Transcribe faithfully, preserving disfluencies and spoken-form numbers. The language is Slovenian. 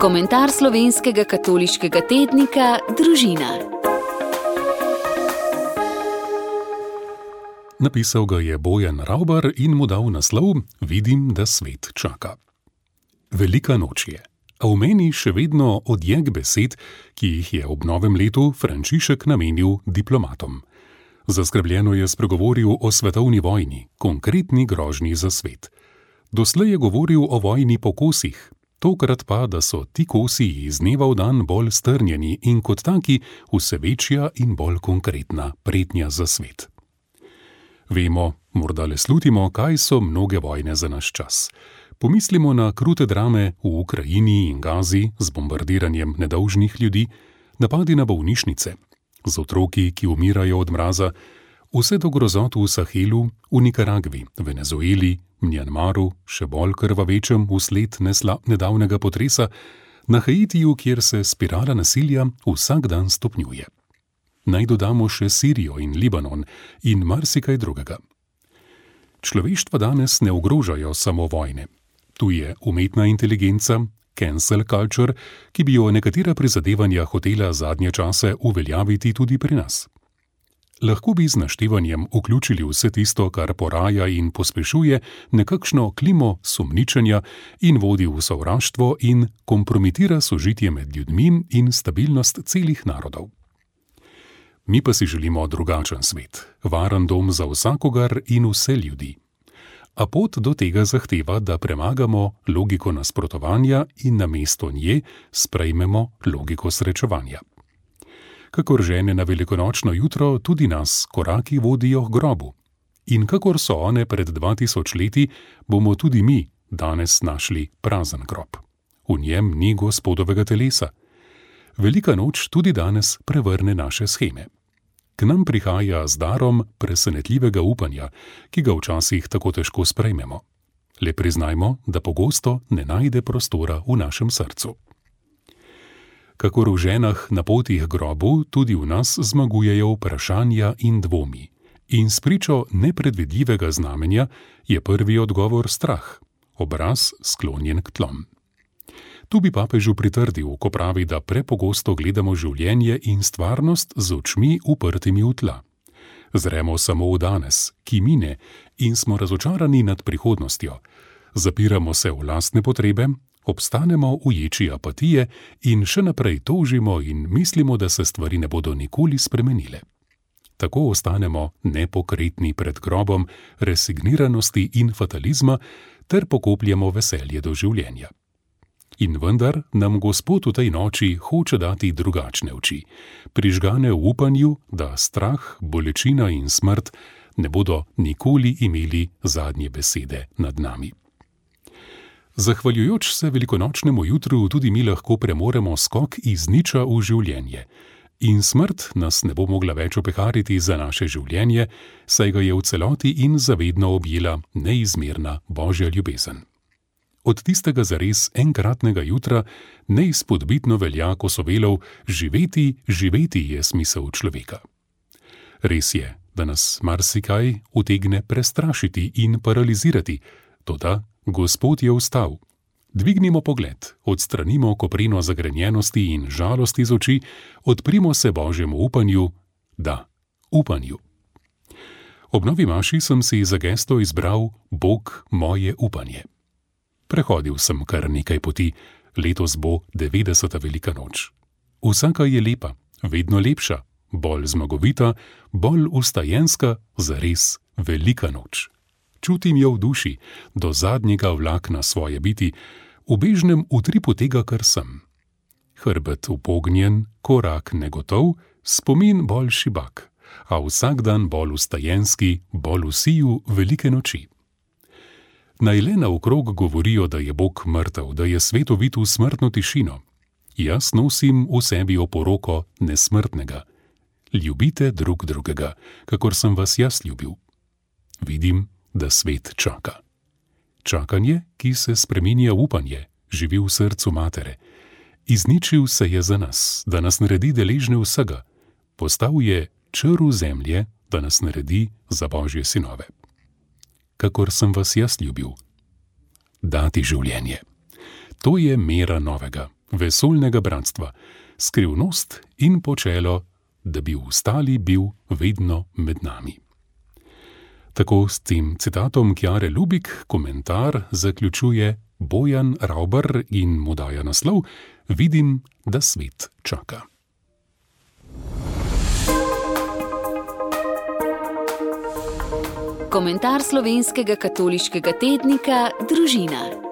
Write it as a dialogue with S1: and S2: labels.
S1: Komentar slovenskega katoliškega tednika Družina.
S2: Napisal ga je Bojan Ravbar in mu dal naslov Vidim, da svet čaka. Velika noč je, a v meni še vedno odjek besed, ki jih je ob novem letu Frančišek namenil diplomatom. Zaskrbljeno je spregovoril o svetovni vojni, konkretni grožnji za svet. Doslej je govoril o vojni po kosih, tokrat pa, da so ti kosi iz dneva v dan bolj strnjeni in kot taki vse večja in bolj konkretna pretnja za svet. Vemo, morda le slutimo, kaj so mnoge vojne za naš čas. Pomislimo na krute drame v Ukrajini in Gazi z bombardiranjem nedolžnih ljudi, napadi na bolnišnice, z otroki, ki umirajo od mraza, vse do grozot v Sahelu, v Nikaragvi, Venezueli, Mjanmaru, še bolj krvavečem vsled nesla nedavnega potresa, na Haitiju, kjer se spirala nasilja vsak dan stopnjuje. Naj dodamo še Sirijo in Libanon in marsikaj drugega. Človeštva danes ne ogrožajo samo vojne. Tu je umetna inteligenca, cancel culture, ki bi jo nekatera prizadevanja hotela zadnje čase uveljaviti tudi pri nas. Lahko bi z naštevanjem vključili vse tisto, kar poraja in pospešuje nekakšno klimo sumničenja in vodi v sovraštvo in kompromitira sožitje med ljudmi in stabilnost celih narodov. Mi pa si želimo drugačen svet, varen dom za vsakogar in vse ljudi. A pot do tega zahteva, da premagamo logiko nasprotovanja in namesto nje sprejmemo logiko srečevanja. Kakor žene na velikonočno jutro, tudi nas koraki vodijo k grobu. In kakor so one pred dva tisoč leti, bomo tudi mi danes našli prazen grob. V njem ni Gospodovega telesa. Velika noč tudi danes prevrne naše sheme. K nam prihaja z darom presenetljivega upanja, ki ga včasih tako težko sprejmemo. Le priznajmo, da pogosto ne najde prostora v našem srcu. Kakor v ženah na poti k grobu, tudi v nas zmagujejo vprašanja in dvomi. In spričo nepredvidljivega znamenja je prvi odgovor strah, obraz sklonjen k tlom. Tu bi papežu pritrdil, ko pravi, da prepogosto gledamo življenje in stvarnost z očmi uprtimi v tla. Zremo samo v danes, ki mine, in smo razočarani nad prihodnostjo. Zapiramo se v lastne potrebe, obstanemo v ječi apatije in še naprej tožimo in mislimo, da se stvari ne bodo nikoli spremenile. Tako ostanemo nepokretni pred grobom resigniranosti in fatalizma ter pokopljemo veselje do življenja. In vendar nam Gospod v tej noči hoče dati drugačne oči, prižgane v upanju, da strah, bolečina in smrt ne bodo nikoli imeli zadnje besede nad nami. Zahvaljujoč se velikonočnemu jutru tudi mi lahko premoremo skok iz niča v življenje in smrt nas ne bo mogla več opehariti za naše življenje, saj ga je v celoti in zavedno objela neizmerna Božja ljubezen. Od tistega zares enkratnega jutra neizpodbitno velja Kosovelov živeti, živeti je smisel človeka. Res je, da nas marsikaj utegne prestrašiti in paralizirati, toda Gospod je vstal. Dvignimo pogled, odstranimo kopreno zagrenjenosti in žalosti z oči, odprimo se Božjemu upanju, da, upanju. Ob novi maši sem si za gesto izbral Bog moje upanje. Prehodil sem kar nekaj poti, letos bo devetdeseta velika noč. Vsaka je lepa, vedno lepša, bolj zmagovita, bolj vstajenska, zares velika noč. Čutim jo v duši, do zadnjega vlakna svoje biti, v bežnem utripu tega, kar sem. Hrbet upognjen, korak negotov, spomin bolj šibak, a vsak dan bolj vstajenski, bolj v siju velike noči. Naj le naokrog govorijo, da je Bog mrtev, da je svet ovit v smrtno tišino. Jaz nosim v sebi oporoko nesmrtnega. Ljubite drug drugega, kakor sem vas jaz ljubil. Vidim, da svet čaka. Čakanje, ki se spreminja v upanje, živi v srcu matere. Izničil se je za nas, da nas naredi deležne vsega. Postal je črv zemlje, da nas naredi za Božje sinove. Kakor sem vas jaz ljubil. Dati življenje. To je mera novega, vesoljnega bratstva, skrivnost in počelo, da bi ostali bil vedno med nami. Tako s tem citatom Kjare Lubik komentar zaključuje Bojan Ravbar in mu daje naslov Vidim, da svet čaka.
S1: Komentar slovenskega katoliškega tednika Družina.